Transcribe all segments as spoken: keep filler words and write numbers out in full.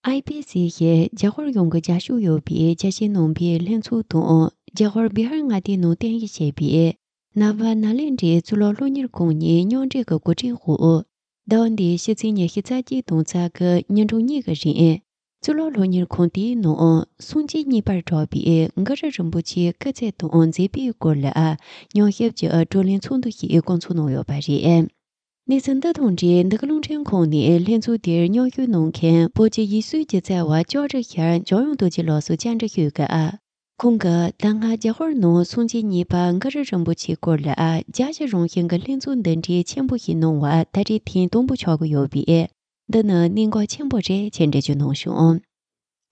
ཨའི་པི་སི་ཞེས་རྒྱ་གར་ཡོངས་ཀྱི་རྒྱ་ཤོག་ཡོད་པའི་རྒྱ་ཆེའི་ནང་པའི་ལྷན་ཚོགས་དང་རྒྱ་གར་བི་ཧར་མངའ་སྡེའི་ནང་རྟེན་གཞི་བྱས་པའི་ནཱ་ཝ་ནཱ་ལེནྡྲའི་གཙུག་ལག་སློབ་གཉེར་ཁང་གཉིས་མཉམ་འབྲེལ་གྱི་གོ་སྒྲིག་འོག་ཟླ་བ་འདིའི་ཕྱི་ཚེས་ཉི་ཤུ་རྩ་གཅིག་དང་རྩ་དགུ་ཉིན་གྲངས་གཉིས་ཀྱི་རིང་། གཙུག་ལག་སློབ་གཉེར་ཁང་དེའི་ནང་སུམ་ཅུ་གཉིས་པར་གྲགས་པའི་གུ་རུ་རིན་པོ་ཆེའི་སྐུ་ཚེ་དང་མཛད་པའི་སྐོར་ལ་ཉམས་ཞིབ་ཀྱི་བགྲོ་གླེང་ཚོགས་འདུ་ཞིག་བསྐོང་ཚོགས་གནང་ཡོད་པ་རེད། གནས་ཚུལ་འདི་དང་འབྲེལ་འདི་ག་རླུང་འཕྲིན་ཁང་ནས་ལྷན་ཚོགས་དེར་མཉམ་ཞུགས་གནང་མཁན་བོད་ཀྱི་ཡིག་གཟུགས་སྒྱུ་རྩལ་བ་ལྕོག་རི་ཤར་འཇམ་དབྱངས་རྡོ་རྗེ་ལགས་སུ་བཅར་འདྲི་ཞུས་སྐབས། ཁོང་གིས་ད་སྔ་རྒྱ་ཧོར་ནང་སུམ་ཅུ་གཉིས་པ་གུ་རུ་རིན་པོ་ཆེའི་སྐོར་ལ་རྒྱ་ཆེ་རང་བཞིན་གྱི་ལྷན་ཚོགས་འདི་འདྲའི་ཆེན་པོ་ཞིག་གནང་བ་ད་རེས་ཐེངས་དང་པོ་ཆགས་ཀྱི་ཡོད་པས། འདི་ནི་གནད་འགག་ཆེན་པོ་རེད་ཅེས་འགྲེལ་བརྗོད་གནང་བྱུང་།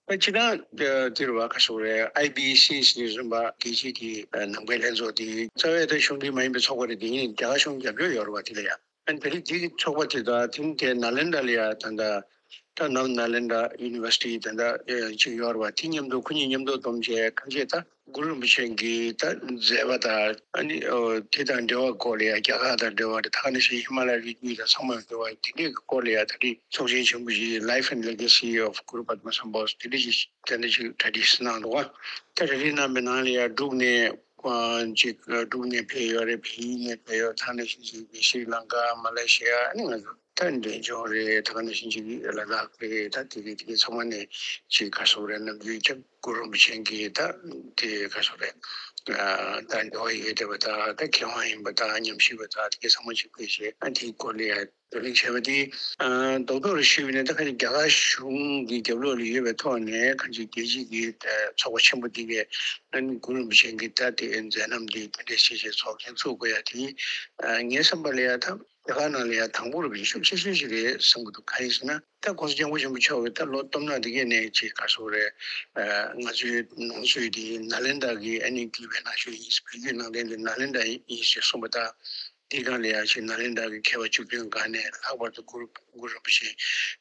སྤྱིར་བཏང་དེ་རུ་བ་ཁ་ཤོག་རེད། ཨའི་བི་སི་ཞེས་རིམ་པ་རྒྱལ་སྤྱིའི་གི་ནང་པའི་ལྷན་ཚོགས་དེ་རྩ་བའི་ད་གཞུང་འབྲེལ་མ་ཡིན་པའི་ཚོགས་པ་རེད། དེ་ཡིན་རྒྱ་གར་གཞུང་རྒྱབ་སྐྱོར་ཡོད་རེད་བ། དེ་ལ་ཡ་ཨ་ནི་ད་རེས་དེ་གི་ཚོགས་པ་དེ་དང་དེ་ནི་དེ་ནཱ་ལེནྡྲ་ལ་ཡ་ད་ལྟ་ད་ནམ་ནཱ་ལེནྡྲ་ཡུ་ནི་ཝར་སི་ཊི་ད་ལྟ་ཅིག་ཡོད་རེད་བ། དེ་མཉམ་དུ་ཁོ་གཉིས་མཉམ་དུ་བསྡོམས་བྱས་གང་བྱས་ད། གུ་རུ་རིན་པོ་ཆེ་གི་ད་མཛད་པ་དང་ཨ་ནི་ཨོ་དེ་དང་འབྲེལ་བ་སྐོར་ལ་ཡང་རྒྱ་གར་དང་འབྲེལ་བ་རེད། ད་ག་ནང་བཞིན་ཧི་མ་ལ་ཡའི་རི་རྒྱུད་དང་ཚང་མ་འབྲེལ་བ་དེ་འདྲའི་གི་སྐོར་ལ་ཡང་ད་རེས་ཚོགས་ཆེན་ཆེན་པོ་ཞིག་Life and Legacy of Guru Padma Sambhava དེ་འདྲ་ཞིག་དེ་འདྲ་ཞིག་གྲ་སྒྲིག་གནང་འདུག་བ། ད་གྲ་སྒྲིག་གནང་པའི་ནང་ལ་ཡང་འབྲུག་ནས་ཅིག་འབྲུག་ནས་ཕེབས་ཡོད་རེད། བལ་ཡུལ་ནས་ཕེབས་ཡོད། ད་ག་ནང་བཞིན་ཅིག་ཤྲི་ལང་ཀ་མ་ལེ་ཤི་ཡ་ཨ་ནི་ང་ཚོ། ད་འབྲས་ལྗོངས་རེད། ད་ག་ནང་བཞིན་ཅིག་ལ་དྭགས་རེད། ད་དེ་གི་དེ་གི་ཚང་མ་ནས་ཅིག་ག་སོག་རེད། ནམ་རྒྱུན་ཅིག་གུ་རུ་རིན་པོ་ཆེ་གི་ད་དེ་ག་སོག་རེད། ད་འབྲེལ་བ་ཡོད་བསྡད་པ་ད་ད་མཁས་དབང་ཡིན་པ་ད་ཉམས་ཞིབ་པ་ད་དེ་གི་ཚང་མ་ཅིག་ཕེབས་བྱས་ཨ་དེའི་སྐོར་ལ་ཡ་བགྲོ་གླེང་བྱས་པ་དེ་རྡོག་རྡོག་རེ་ཞུས་པ་ཡིན་ན། ད་ག་ནི་རྒྱ་གར་གཞུང་གི་རྒྱབ་ལོགས་ལ་ཡོད་པའི་ཐོག་ནས་གང་ཅིག་རྒྱལ་སྤྱི་གི་ཚོགས་པ་ཆེན་པོ་འདི་གས་ཨ་ནི་གུ་རུ་རིན་པོ་ཆེ་གི་ད་དེ་མཛད་རྣམ་འདི་དེ་འདྲ་བྱས་བྱས་ཚོགས་ཆེན་ཚུགས་དགོས་ཡ་དེ་ངའི་བསམ་པ་ལ་ཡ་ད། རྒྱ་གར་ནང་ལ་ཡང་དང་པོ་རུ་ཤུགས་ཆེ་ཤོས་ཤིག་རེད་བསམ་གྱི་འདུག་གང་ཡིན་ཟེར་ན། ད་༸གོང་ས་༸སྐྱབས་མགོན་ཆེན་པོ་མཆོག་གིས་ད་ལོ་སྟོང་ཕྲག་འདི་གའི་ནས་ཅིག་ག་སོག་རེད། ང་ཚོའི་ནང་ཆོས་འདི་ནཱ་ལེནྡྲ་གི་ཨ་ནི་བརྒྱུད་པའི་ནང་ཆོས་ཡིན། བོད་བརྒྱུད་ནང་བསྟན་འདི་ནཱ་ལེནྡྲ་ཡིན་ཞེས་གསུངས་པ་དང་། དེའི་སྒང་ལ་ཡང་ཅིག་ནཱ་ལེནྡྲ་གི་མཁས་པ་བཅུ་བདུན་སྒང་ནས་ལྷག་པར་དུ་གུ་རུ་གུ་རུ་རིན་པོ་ཆེ་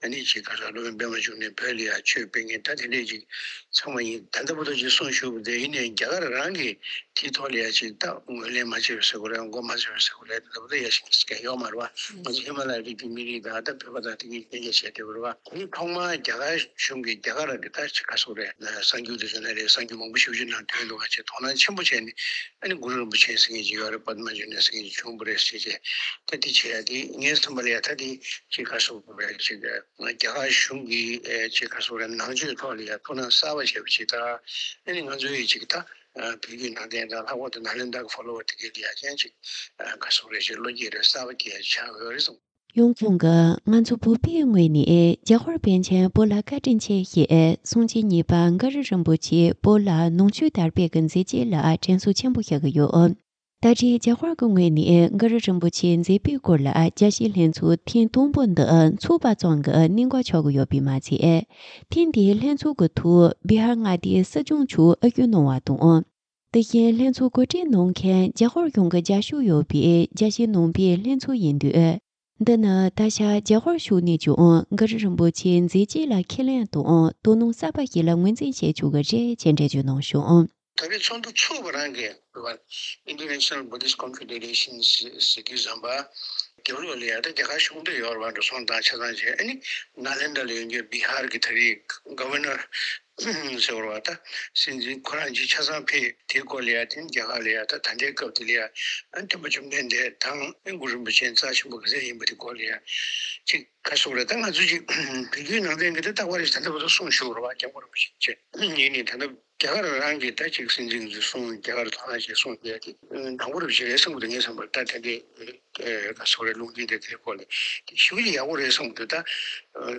ཨ་ནི་ཅིག་ག་སོག་སློབ་དཔོན་པད་མ་འབྱུང་གནས་བོད་ལ་ཡང་ཆོས་སྤེལ་མཁན་ད་དེ་འདྲས་ཅིག་ཚང་མ་ཡིན། ད་ལྟ་བར་དུ་ཅིག་གསུང་ཞུ་བ་དེ་ཡིན་ནའི་རྒྱ་གར་རང་གིས་དེའི་ཐོག་ལ་ཡ་ཅིག་ད་ངོས་ལེན་མ་བྱས་པའི་ཟེར་དགོས་རེད། མགོ་མ་ཚོས་པའི་ཟེར་དགོས་རེད། ད་ལྟ་བར་དུ་ཡ་ཞིག་ག་ཡོད་མ་རེད་བ། ང་ཚོ་ཧི་མ་ལ་ཡའི་རི་རྒྱུད་མི་རིགས་དང་ད་བོད་པ་དང་དེ་གཉིས་གཉེན་ཉེ་བྱས་བསྡད་པ་རེད་བ། དེ་ཐོག་མར་རྒྱ་གར་གཞུང་གིས་རྒྱ་གར་གྱི་ད་ཅིག་ག་སོག་རེད། གསར་འགྱུར་དུ་བྱུང་ན་རེད། གསར་འགྱུར་མང་པོ་ཞིག་བརྒྱུད་ནང་ཐོན་འདུག་ག་ཅེས་དོ་སྣང་ཆེན་པོ་བྱས་ནས་ཨ་ནི་གུ་རུ་རིན་པོ་ཆེ་ཟེར་མཁན་ཅིག་ཡོད་རེད། པདྨ་འབྱུང་གནས་ཟེར་མཁན་ཅིག་བྱུང་བ་རེད་ཟེར་བྱས། ད་དེ་བྱས་ཡ་དེ་ངའི་བསམ་པ་ལ་ཡ་ད་དེ་ཅིག་ག་སོག་རེད། ཅིག་རྒྱ་གར་གཞུང་གིས་ཨེ་ཅིག་ག་སོག་རེད། ནང་ཆོས་ཐོག་ལ་ཡ་ཐུགས་སྣང་གསར་པ་བྱས་པ་ཅིག་དང་། ཨ་ནི་ང་ཚོ་ཡི་ཅིག་ད་ཨ་བོད་བརྒྱུད་ནང་བསྟན་དང་ལྷག་པར་དུ་ནཱ་ལེནྡྲ་གི་ཕོ་ལོ་བ་དེ་གའི་ལ་ཡ་ཅན་ཅིག་ཨ་ག་སོག་རེད། ཅིག་བློ་སྐྱེད་རེ་གསར་པ་སྐྱེ་ཡ་ཆགས་ཡོད་རེད་བསམ། ཡང་ཁོང་གིས་ང་ཚོ་བོད་པའི་ངོས་ནས་རྒྱ་ཧོར་པཎ་ཆེན་བོད་ལ་བཀའ་དྲིན་ཆེ་ཞེས་སུམ་ཅུ་གཉིས་པ་གུ་རུ་རིན་པོ་ཆེ་བོད་ལ་ནང་ཆོས་དར་སྤེལ་གྱི་མཛད་རྗེས་ལ་དྲན་གསོ་ཆེན་པོ་བྱེད་ཀྱི་ཡོད། ད་རེས་རྒྱ་ཧོར་གྱི་ངོས་ནས་གུ་རུ་རིན་པོ་ཆེའི་མཛད་པའི་སྐོར་ལ་རྒྱ་ཆེའི་ལྷན་ཚོགས་ཐེངས་དང་པོ་འདི་ཚོགས་པ་ཙམ་གྱི་གནད་འགག་ཆགས་ཀྱི་ཡོད་པས་མ་ཚད། ཐེངས་འདིའི་ལྷན་ཚོགས་ཀྱི་ཐོག་བི་ཧར་མངའ་སྡེའི་སྲིད་སྐྱོང་མཆོག་ཨ་སྐྱོང་གནང་བ་དང་། དེ་བཞིན་ལྷན་ཚོགས་གོ་སྒྲིག་གནང་མཁན་རྒྱ་ཧོར་གཞུང་གི་རྒྱབ་སྐྱོར་ཡོད་པའི་རྒྱལ་སྤྱིའི་ནང་པའི་ལྷན་ཚོགས་ཡིན་དུས། འདི་ནི་ད་ཆ་རྒྱ་ཧོར་ཕྱོགས་ནས་ཀྱང་གུ་རུ་རིན་པོ་ཆེའི་མཛད་རྗེས་ལ་ཁས་ལེན་དང་དོ་སྣང་གསར་པ་ཞིག་ལ་ངོས་འཛིན་བྱེད་ཆོག་གི་རེད་ཅེས་འགྲེལ་བརྗོད་གནང་བྱུང་། ད་རེས་ཚོགས་འདུ་ཚུགས་པ་རང་གི་International Buddhist Confederation ཟེར་གྱི་བཟོ་འདྲ་རྒྱབ་ལོགས་ལ་ཡ་ད་རྒྱ་གར་གཞུང་འབྲེལ་ཡོད་རེད་བ། འགྲོ་སོང་དང་ཆ་ཚང་བྱས། ཨ་ནི་ནཱ་ལེནྡྲ་ལ་ཡོད་མཁན་བི་ཧར་གྱི་ད་རེས་Governor ཟེར་བ་རེད་བ། ད་སྲིད་འཛིན་ཁོ་རང་ཅིག་ཆ་ཚང་ཕེབས། དེའི་སྐོར་ལ་ཡ་དེ་ནི་རྒྱ་གར་ལ་ཡ་ད་ད་ལྟའི་སྐབས་དེ་ལ་ཡ་ཨ་སྟོན་པ་བཅོམ་ལྡན་འདས་དང་ཨ་གུ་རུ་རིན་པོ་ཆེ་རྩ་ཆེན་པོ་ག་ཚད་ཡིན་པ་དེ་སྐོར་ལ་ཡ་ཅིག་ག་སོག་རེད། ད་ང་ཚོ་ཅིག་བོད་བརྒྱུད་ནང་བསྟན་གྱི་དེ་རྟག་པར་རེ་ད་ལྟ་བར་དུ་གསུང་ཞུ་བ་རེད་བ། སྐྱབས་མགོན་རིན་པོ་ཆེ་ཡིན་ནའི་ད་ལྟ་རྒྱ་གར་རང་གི་ད་ཅིག་སྲིད་འཛིན་གྱི་གསུང་རྒྱ་གར་ཐོག་ནས་ཅིག་གསུང་བྱས་ཏེ་དང་པོ་རེ་བྱས་རེད་བསམ་གྱི་འདུག་ངའི་བསམ་པར། ད་དེ་འདྲའི་ག་སོག་རེད། ལུང་འདྲེན་དེ་དེའི་སྐོར་ལ་དེ་ཞུ་ཡག་པོ་རེད་བསམ་གྱི་འདུག་ད་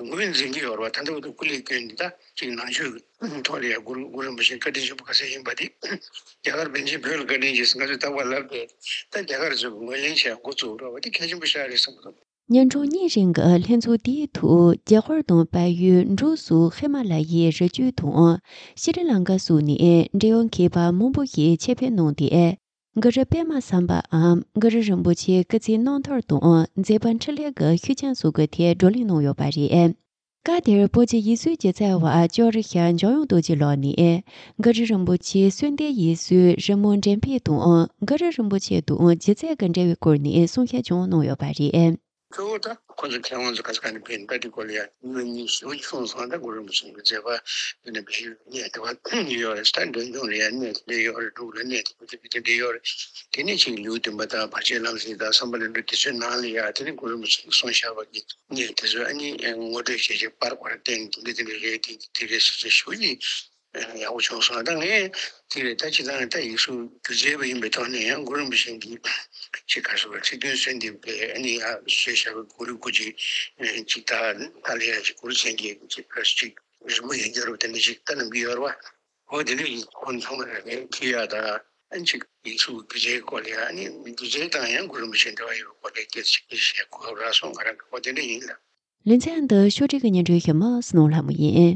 ངོས་འཛིན་གྱི་ཡོད་རེད་བ། ད་ལྟ་བར་དུ་སྐུ་ལས་བསྐྱོན་ནས་ད་ཅིག་ནང་ཆོས་ཐོག་ལ་ཡ་གུ་རུ་གུ་རུ་རིན་པོ་ཆེ་བཀའ་དྲིན་ཆེན་པོ་ག་ཚད་ཡིན་པ་དེ་རྒྱ་གར་པཎ་ཆེན་བོད་ལ་བཀའ་དྲིན་ཆེ་ཟེར་ང་ཚོས་རྟག་པར་ལབ་པས། ད་རྒྱ་གར་ཚོས་ངོས་ལེན་བྱས་འགོ་བཙུགས་རོགས་པ་དེ་གལ་ཆེན་པོ་ཞིག་རེད་བསམ་གྱི་འདུག་ཉིན་གྲངས་གཉིས་རིང་གི་ལྷན་ཚོགས་དེའི་ཐོག་རྒྱ་ཧོར་དང་བལ་ཡུལ། འབྲུག་སོགས་ཧི་མ་ལ་ཡའི་རི་རྒྱུད་དང་ཤྲི་ལང་ཀ་སོགས་ནས་འབྲེལ་ཡོད་མཁས་པ་མང་པོ་ཞིག་ཆེད་ཕེབས་གནང་སྟེ། གུ་རུ་པདྨ་སམ་བྷའམ་གུ་རུ་རིན་པོ་ཆེའི་སྐུ་ཚེའི་རྣམ་ཐར་དང་མཛད་པ་འཕྲིན་ལས་ཀྱི་ཤུལ་བཞག་སོགས་ཀྱི་ཐད་བགྲོ་གླེང་གནང་ཡོད་པ་རེད། སྐབས་དེར་བོད་ཀྱི་ཡིག་གཟུགས་སྒྱུ་རྩལ་བ་ལྕོག་རི་ཤར་འཇམ་དབྱངས་རྡོ་རྗེ་ལགས་ནས། གུ་རུ་རིན་པོ་ཆེའི་གསོལ་འདེབས་ཡིག་གཟུགས་རི་མོ་འགྲེམས་སྤེལ་དང་། གུ་རུ་རིན་པོ་ཆེ་དང་སྒྱུ་རྩལ་གྱི་འབྲེལ་བའི་སྐོར་ནས་གསུང་བཤད་ཀྱང་གནང་ཡོད་པ་རེད། གཙོ་བོ་ད་ཁོ་ཚོ་མཁས་དབང་ཚོ་ག་ས་ག་ནས་ཕེབས་ནས་ད་འདི་སྐོར་ལ་ཡ་གནས་ཉིན་ཞུ་བྱུང་སོང་། ད་གུ་རུ་རིན་པོ་ཆེ་གི་མཛད་པ་འདི་ནས་བེད་སྤྱོད་གནས་དེ་བ་ཡོད་རེད། ད་འདོན་སྐྱོང་ལ་ཡ་གནས་དེ་འདྲ་ཡོད་རེད། འབྲུག་ལ་གནས་དེ་འདྲ་ཡོད་རེད། དེ་ནས་ཅིག་ལེའུ་བདུན་པ་དང་བར་ཆད་ལམ་སེལ་དང་བསམ་པ་ལྷུན་གྲུབ་དེ་ཚོའི་ནང་ལ་ཡ་དེ་ནས་གུ་རུ་རིན་པོ་ཆེ་གིས་གསུངས་བཞག་པ་གི་གནས་དེ་ཚོ་ཨ་ནི་ངོ་སྤྲོད་བྱས་བྱས་པར་བར་བསྟན་དེ་འདྲ་དེ་འདྲ་རེད། དེ་འདྲ་དེ་འདྲ་ཞིག་ཅིག་ཞུ་ཡིན། ཡག་པོ་བྱུང་སོང་། ད་ངས་དེ་རེད། ད་ཅི་ད་ད་ཡིག་གཟུགས་སྒྱུ་རྩལ་པ་ཡིན་པའི་ཐོག་ནས་ཡང་གུ་རུ་རིན་པོ་ཆེ་གིས་ཅིག་ག་རེ་ཟེར་བ། ཚིག་དོན་གསོལ་འདེབས་པའི་ཨ་ནི་ཡ་བཟོས་བཞག་པའི་གུ་རུ་སྐུ་ཅིག་ཅིག་ད་ད་ལ་ཡ་ཅིག་གུ་རུ་མཚན་བརྒྱད་ཅིག་ག་རེ་ཅིག་རི་མོ་ཡོད་རྒྱུ་རེད་པ། དེ་འདྲ་ཅིག་ད་ནམ་རྒྱུན་ཡོད་རེད་པ། འོ་དེ་འདྲ་ཡིན། ཁོང་ཚང་མ་རེད་ཁྱི་ཡ་ད་ཨ་ནི་ཅིག་ཡིག་གཟུགས་སྒྱུ་རྩལ་སྐོར་ལ་ཡ་ཨ་ནི་སྒྱུ་རྩལ་དང་ཡང་གུ་རུ་རིན་པོ་ཆེ་འབྲེལ་བ་ཡོད་པའི་སྐོར་ལ་སྐད་ཆ་ཅིག་བཤད་དགོས་རག་སོང་། ང་རང་གི་འོ་དེ་འདྲ་ཡིན་ལ། ལེ་ཚན་འདི་ཕྱོགས་སྒྲིག་གི་སྙན་སྒྲོན་ཞུ་མ་སྣང་ལྷ་མོ་ཡིན།